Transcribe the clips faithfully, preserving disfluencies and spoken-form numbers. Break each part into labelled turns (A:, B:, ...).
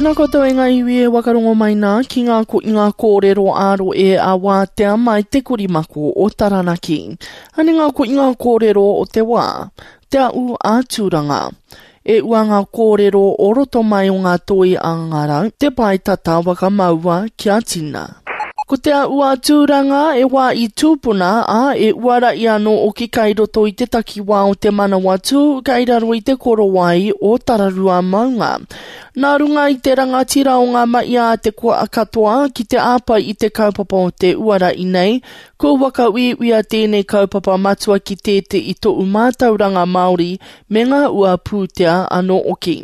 A: Tēnā koutou e ngā iwi e wakarongo mai nā ki ngā ko i ngā kōrero āro e a wātea mai te korimako o Taranaki. Ane ngā ko i ngā kōrero o te wā, te au a Tūranga. E ua ngā kōrero o roto mai o ngā toi a ngā te pae tata wakamaua kia tina. Ko te ua tūranga e wā i tūpuna, a e uara i anō o ki kai roto i te takiwā o te manawa tū, kai raro i te korowai o Tararua maunga. Nā runga i te rangatira o ngā maia a te kua katoa ki te āpai i te kaupapa o te uara i nei, ko waka uiuia tēnei kaupapa matua ki tēte i to'u mātauranga Māori me ngā ua pūtea anō oki.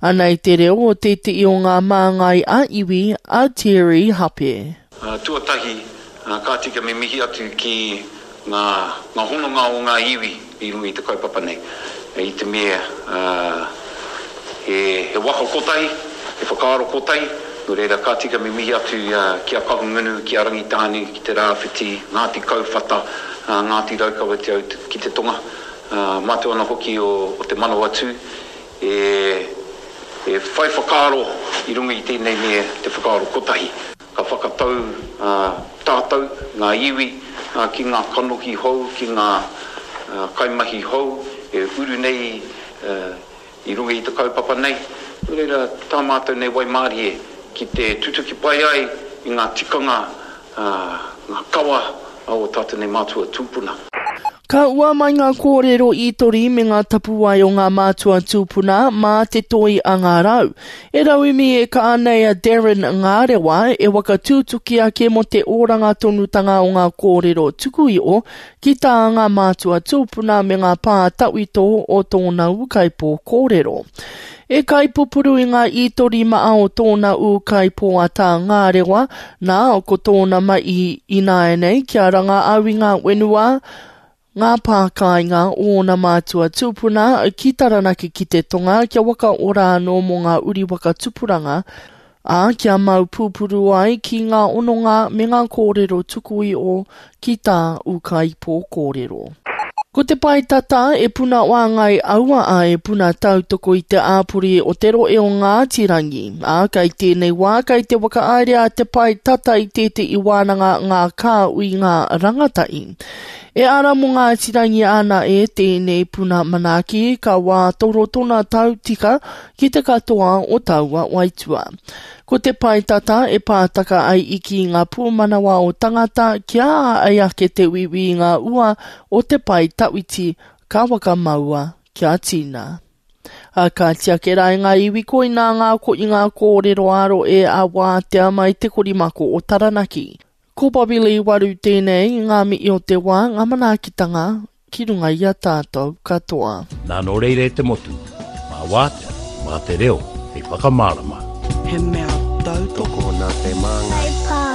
A: Anei te reo o tēte i o ngā māngai a iwi a Thierry Hape.
B: Uh, tuatahi, uh, ka tika me mihi atu ki ngā, ngā hononga o ngā iwi i runga i te kaupapa nei. E i te mea, uh, he, he waka kotahi, he whakaaro kotahi, nō reira ka tika me mihi atu uh, ki a Kahungunu, ki a Rangitāne, ki te Rāwhiti, Ngāti Kauwhata, uh, Ngāti Raukawa te au ki te tonga, uh, mātou ana hoki o, o te Manawatū, e, e whai whakaaro i runga i tēnei mea te whakaaro kotahi. Ka whakatau uh, tātou, ngā iwi, uh, ki ngā kanohi hou, ki ngā uh, kaimahi hou, e uru nei uh, i runga i te kaupapa nei. Nō reira, tā mātou nei waimārie ki te tutuki pai ai i ngā tikanga, uh, ngā kawa o tātou nei mātua tūpuna.
A: Ka ua mai ngā kōrero i tori me ngā tapuwai o ngā mātua tūpuna mā te toi a ngā rau. E rauimi e ka anei a Darren Ngārewa e waka tūtuki ake mo te oranga tonutanga o ngā kōrero tuku iho ki tā ngā mātua tūpuna me ngā pā tawhito o tōna ūkaipō kōrero. E kaipupuru i ngā ītori maa o tōna ūkaipō a tā Ngārewa, nā ko tōna mai i nāianei kia ranga au i ngā wenua, ngā pākāinga o ōna mātua tūpuna ki Taranaki ki te tonga kia waka ora anō mō ngā uri waka tupuranga, ā, kia mau pūpuru ai ki ngā ononga me ngā kōrero tuku iho ki tā ūkaipō kōrero. Ko te pae tata e puna wāngai aua a e puna tautoko i te āpori o te roe o Ngāti Rangi. Ā, kai tēnei wā, kai te whakahaere a te pae tata i tēte i wānanga ngā kāui ngā rangatahi. E ara mō Ngāti Rangi ana e tēnei puna manaaki ka wā toro tona tau tika ki te katoa o taua waitua. Ko te pae tata e pātaka ai i ki ngā pūmanawa o tangata kia ai ake te wiwi i ngā ua o te pae tawhiti ka wakamaua kia tina. A ka tiake rā i ngā iwi koinā ngā ko i ngā kōrero aro e a wātea mai te korimako o Taranaki. Ko Bobby Lee Waru tēnei, ngā mihi o te wā, ngā manaakitanga ki runga i a tātou katoa.
C: Nā nō reira e te motu, mā wātea, mā te reo, hei whakamārama.
D: He mea tautoko
E: Tokona te māngai.